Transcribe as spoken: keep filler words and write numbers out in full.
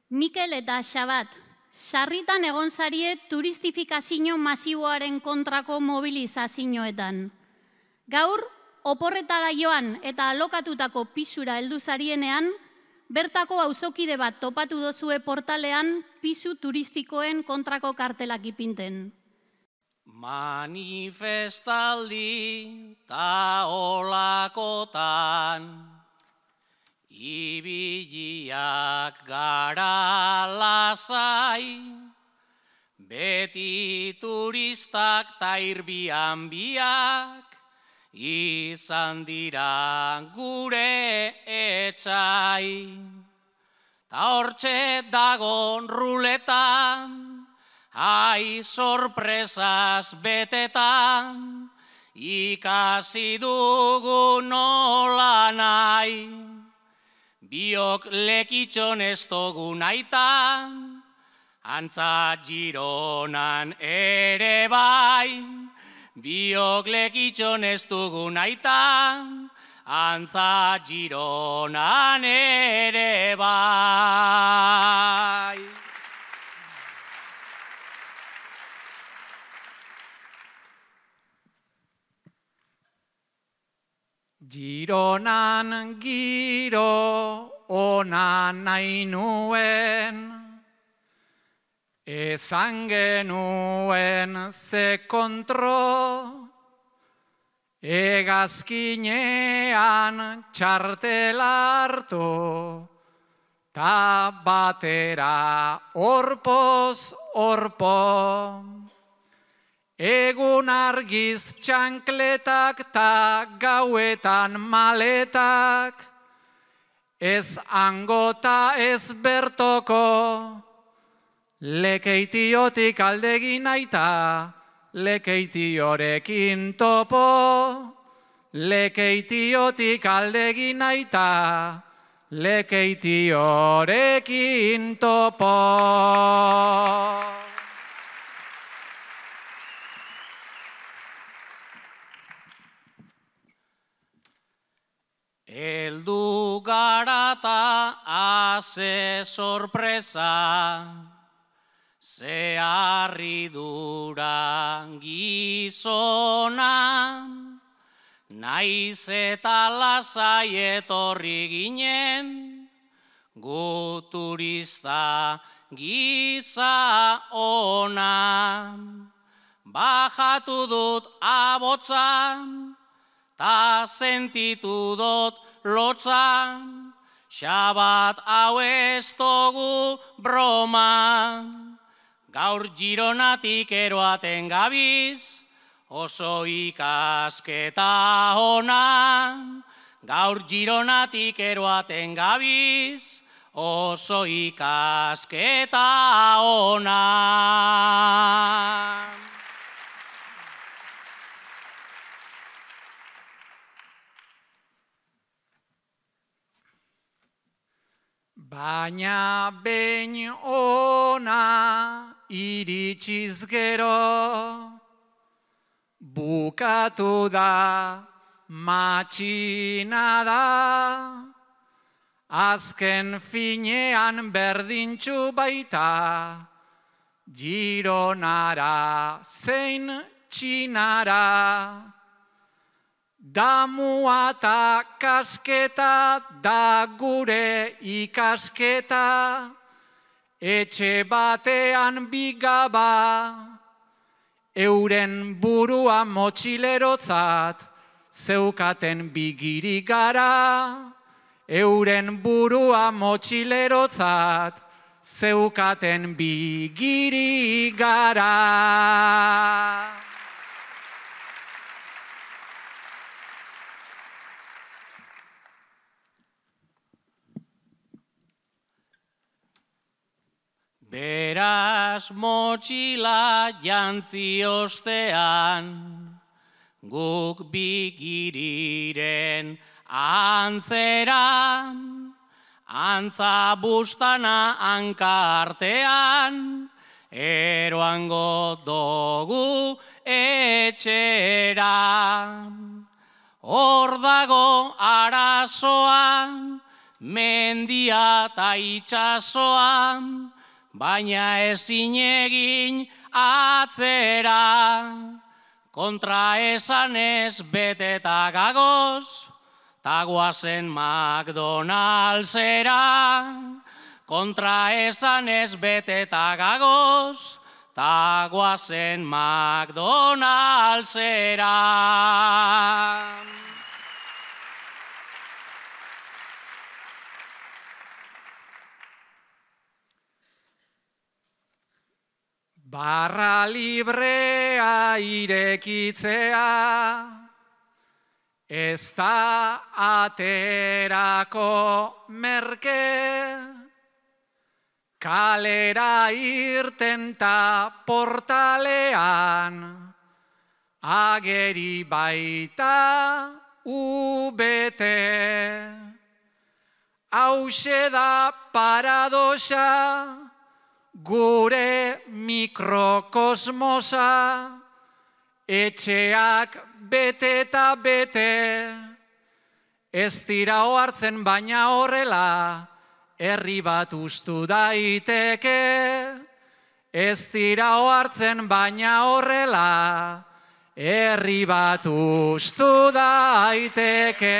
Mikel eta Xabat, sarritan egon zarie turistifikazio masiboaren kontrako mobilizazioetan. Gaur, oporretara joan eta alokatutako pisura heldu zarienean, bertako auzokide bat topatu dozue portalean pisu turistikoen kontrako kartelak ipinten. Manifestaldi ta olakotan, ibiliak gara lasai, beti turistak ta irbian biak, izan dira gure etxai. Ta hortxe dagon ruletan, ai sorpresas betetan, ikasi dugu nola nahi. Biok lekitxon ez dugu naitan, antza Gironan ere bai. Biok lekitxon ez dugu naitan, antza Gironan ere bai. Gironan giro ona nahi nuen, ezan genuen ze kontro, egazkinean txartel hartu, ta batera orpoz orpo. Egun argiz txankletak ta gauetan maletak, ez angota ez bertoko, lekeitiotik aldegin aita, lekeitiorekin topo, lekeitiotik aldegin aita, lekeitiorekin topo. Eldu garata haze sorpresa, ze harridura gizona, naiz eta lasai etorri ginen, gu turista giza ona. Bajatu dut abotzan, ta sentitu dut lotzan, Xabat hau ez dugu broma. Gaur Gironatik eroaten gabiz, oso ikasketa ona. Gaur Gironatik eroaten gabiz, oso ikasketa ona. Baina behin ona iritsiz gero, bukatu da matxina da, azken finean berdintxu baita, Gironara zein Txinara. Damua eta kasketa da gure ikasketa, etxe batean bigaba, euren burua motxilerotzat, zeukaten bigiri gara, euren burua motxilerotzat, zeukaten bigiri gara. Beraz motxila jantzi ostean, guk bigiriren antzera, antza bustana hankartean, eroango dugu etxera. Hor dago arazoa, mendia ta itxasoa, baina ezin egin atzera. Kontra esanez beteta gagoz, ta guazen McDonaldsera. Kontra esanez beteta gagoz, ta guazen McDonaldsera. Barra librea irekitzea, ez da aterako merke, kalera irten ta portalean, ageri baita ubete. Hauxe da paradoxa, gure mikrokosmosa, etxeak bete eta bete, ez dira ohartzen baina horrela, herri bat ustu daiteke. Ez dira ohartzen baina horrela, herri bat ustu daiteke.